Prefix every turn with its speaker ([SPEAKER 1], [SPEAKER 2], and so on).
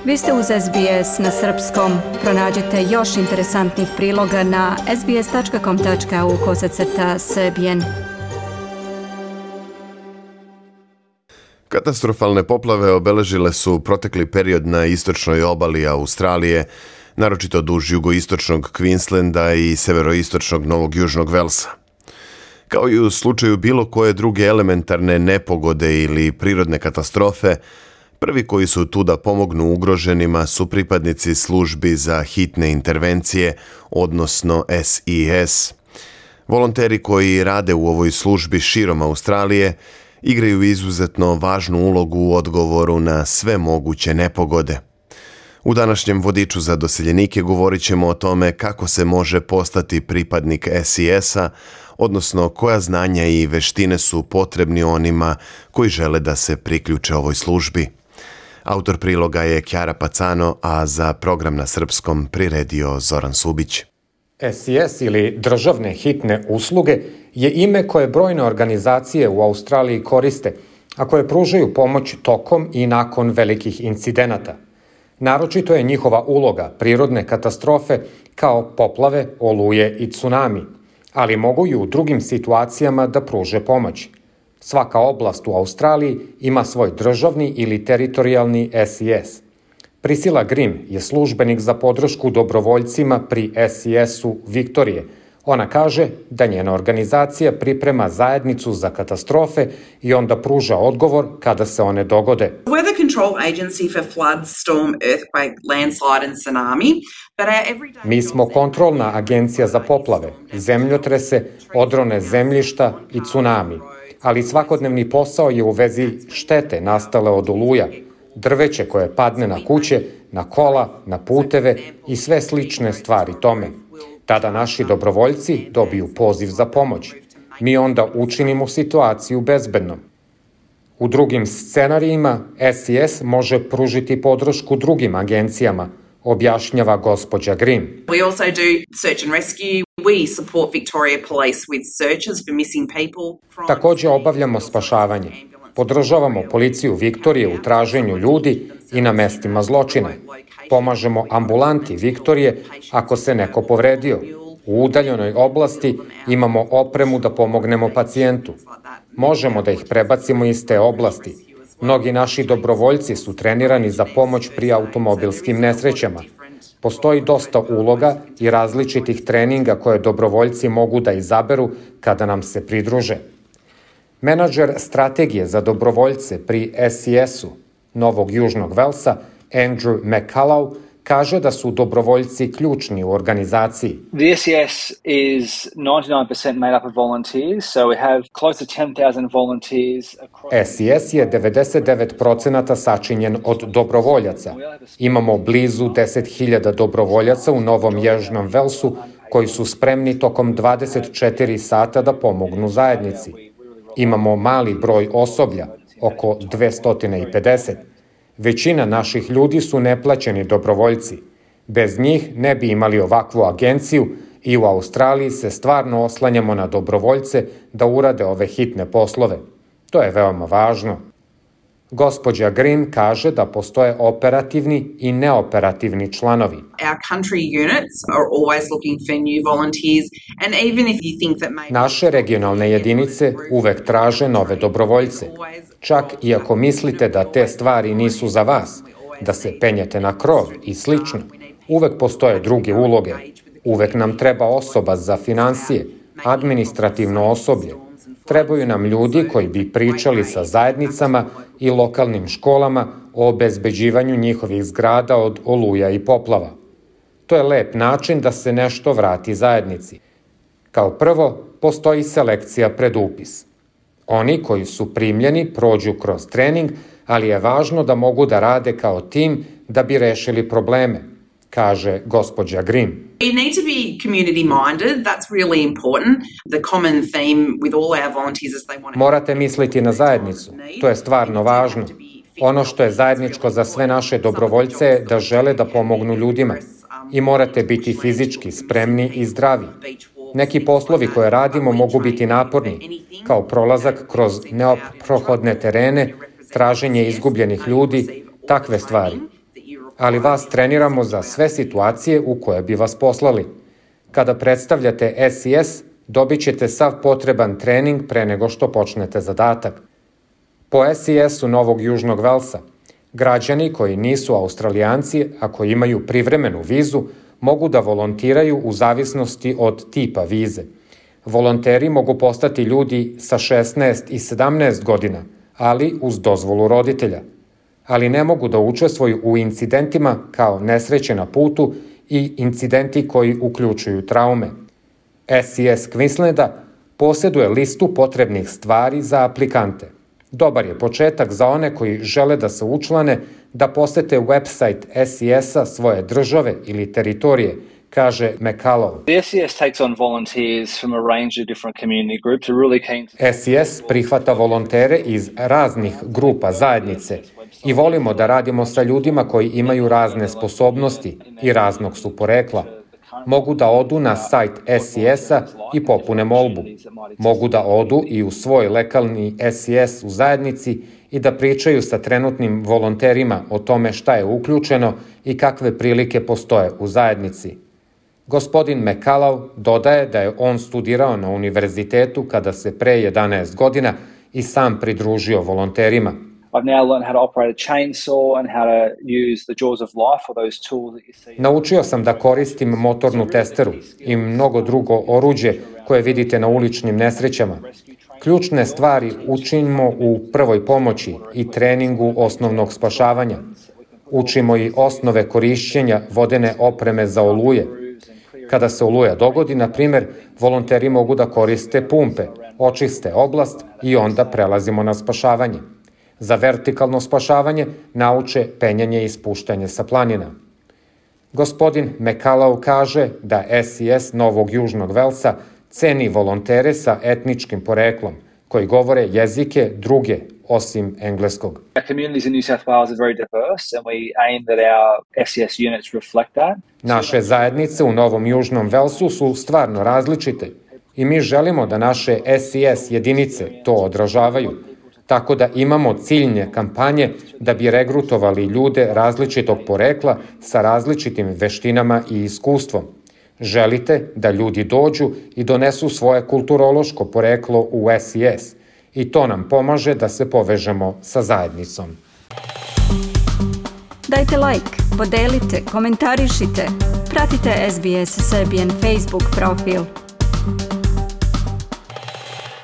[SPEAKER 1] Vi ste uz SBS na srpskom. Pronađite još interesantnih priloga na sbs.com.au/srbijen.
[SPEAKER 2] Katastrofalne poplave obeležile su protekli period na istočnoj obali Australije, naročito duž jugoistočnog Queenslanda i severoistočnog Novog Južnog Velsa. Kao i u slučaju bilo koje druge elementarne nepogode ili prirodne katastrofe, prvi koji su tu da pomognu ugroženima su pripadnici službi za hitne intervencije, odnosno SES. Volonteri koji rade u ovoj službi širom Australije igraju izuzetno važnu ulogu u odgovoru na sve moguće nepogode. U današnjem vodiču za doseljenike govorit ćemo o tome kako se može postati pripadnik SES-a, odnosno koja znanja i veštine su potrebni onima koji žele da se priključe ovoj službi. Autor priloga je Kjara Pacano, a za program na srpskom priredio Zoran Subić.
[SPEAKER 3] SES ili državne hitne usluge je ime koje brojne organizacije u Australiji koriste, a koje pružaju pomoć tokom i nakon velikih incidenata. Naročito je njihova uloga prirodne katastrofe kao poplave, oluje i tsunami, ali mogu i u drugim situacijama da pruže pomoć. Svaka oblast u Australiji ima svoj državni ili teritorijalni SES. Priscilla Grimm je službenik za podršku dobrovoljcima pri SES-u Viktorije. Ona kaže da njena organizacija priprema zajednicu za katastrofe i onda pruža odgovor kada se one dogode.
[SPEAKER 4] We're the control agency for flood, storm, earthquake, landslide and tsunami.
[SPEAKER 3] Mi smo kontrolna agencija za poplave, zemljotrese, odrone zemljišta i tsunami. Ali svakodnevni posao je u vezi štete nastale od oluja, drveće koje padne na kuće, na kola, na puteve i sve slične stvari tome. Tada naši dobrovoljci dobiju poziv za pomoć. Mi onda učinimo situaciju bezbednom. U drugim scenarijima SES može pružiti podršku drugim agencijama, objašnjava gospođa Grimm.
[SPEAKER 4] We also do search and rescue. We support Victoria Police with searches for missing people.
[SPEAKER 3] Takođe obavljamo spašavanje. Podržavamo policiju Viktorije u traženju ljudi i na mestima zločina. Pomažemo ambulanti Viktorije ako se neko povredio. U udaljenoj oblasti imamo opremu da pomognemo pacijentu. Možemo da ih prebacimo iz te oblasti. Mnogi naši dobrovoljci su trenirani za pomoć pri automobilskim nesrećama. Postoji dosta uloga i različitih treninga koje dobrovoljci mogu da izaberu kada nam se pridruže. Menadžer strategije za dobrovoljce pri SES-u Novog Južnog Velsa, Andrew McCullough, kaže da su dobrovoljci ključni u organizaciji.
[SPEAKER 5] The SES is 99% made up of volunteers, so we have close to 10,000 volunteers across...
[SPEAKER 3] SES je 99% sačinjen od dobrovoljaca. Imamo blizu 10.000 dobrovoljaca u Novom Južnom Velsu koji su spremni tokom 24 sata da pomognu zajednici. Imamo mali broj osoblja, oko 250. Većina naših ljudi su neplaćeni dobrovoljci. Bez njih ne bi imali ovakvu agenciju i u Australiji se stvarno oslanjamo na dobrovoljce da urade ove hitne poslove. To je veoma važno. Gospođa Grimm kaže da postoje operativni i neoperativni članovi.
[SPEAKER 4] Our country units are always looking for new volunteers and even if you think that maybe...
[SPEAKER 3] Naše regionalne jedinice uvek traže nove dobrovoljce. Čak i ako mislite da te stvari nisu za vas, da se penjete na krov i slično, uvek postoje druge uloge. Uvek nam treba osoba za finansije, administrativno osoblje. Trebaju nam ljudi koji bi pričali sa zajednicama i lokalnim školama o obezbeđivanju njihovih zgrada od oluja i poplava. To je lep način da se nešto vrati zajednici. Kao prvo, postoji selekcija pred upis. Oni koji su primljeni prođu kroz trening, ali je važno da mogu da rade kao tim da bi rešili probleme, kaže gospođa Grimm.
[SPEAKER 4] We need to be community minded. That's really important. The common theme with all our volunteers is they want to...
[SPEAKER 3] Morate misliti na zajednicu. To je stvarno važno. Ono što je zajedničko za sve naše dobrovoljce je da žele da pomognu ljudima. I morate biti fizički spremni i zdravi. Neki poslovi koje radimo mogu biti naporni, kao prolazak kroz neprohodne terene, traženje izgubljenih ljudi, takve stvari. ali vas treniramo za sve situacije u koje bi vas poslali. Kada predstavljate SES, dobit ćete sav potreban trening pre nego što počnete zadatak. Po SES-u Novog Južnog Velsa, građani koji nisu Australijanci, ako imaju privremenu vizu, mogu da volontiraju u zavisnosti od tipa vize. Volonteri mogu postati ljudi sa 16 i 17 godina, ali uz dozvolu roditelja. Ali ne mogu da učestvuju u incidentima kao nesreće na putu i incidenti koji uključuju traume. SES Queenslanda posjeduje listu potrebnih stvari za aplikante. Dobar je početak za one koji žele da se učlane da posete website SES-a svoje države ili teritorije, kaže McCullough.
[SPEAKER 5] The SES takes on volunteers from a range of different community groups. We're really keen to...
[SPEAKER 3] SES prihvata volontere iz raznih grupa zajednice i volimo da radimo sa ljudima koji imaju razne sposobnosti i raznog su porekla. Mogu da odu na sajt SES-a i popune molbu. Mogu da odu i u svoj lokalni SES u zajednici i da pričaju sa trenutnim volonterima o tome šta je uključeno i kakve prilike postoje u zajednici. Gospodin McCullough dodaje da je on studirao na univerzitetu kada se pre 11 godina i sam pridružio volonterima.
[SPEAKER 5] I've now learned how to operate a chainsaw and how to use the jaws of life or those tools that you see.
[SPEAKER 3] Naučio sam da koristim motornu testeru i mnogo drugo oruđe koje vidite na uličnim nesrećama. Ključne stvari učimo u prvoj pomoći i treningu osnovnog spašavanja. Učimo i osnove korišćenja vodene opreme za oluje. Kada se oluja dogodi, na primjer, volonteri mogu da koriste pumpe, očiste oblast i onda prelazimo na spašavanje. Za vertikalno spašavanje nauče penjanje i spuštanje sa planina. Gospodin McCullough kaže da SES Novog Južnog Velsa ceni volontere sa etničkim poreklom, koji govore jezike druge osim engleskog.
[SPEAKER 5] Our communities in New South Wales are very diverse and we aim that our SES units reflect that.
[SPEAKER 3] Naše zajednice u Novom Južnom Velsu su stvarno različite i mi želimo da naše SES jedinice to odražavaju, tako da imamo ciljne kampanje da bi regrutovali ljude različitog porekla sa različitim veštinama i iskustvom. Želite da ljudi dođu i donesu svoje kulturološko poreklo u SES i to nam pomaže da se povežemo sa zajednicom.
[SPEAKER 1] Dajte like, podelite, komentarišite, pratite SBS Serbian Facebook profil.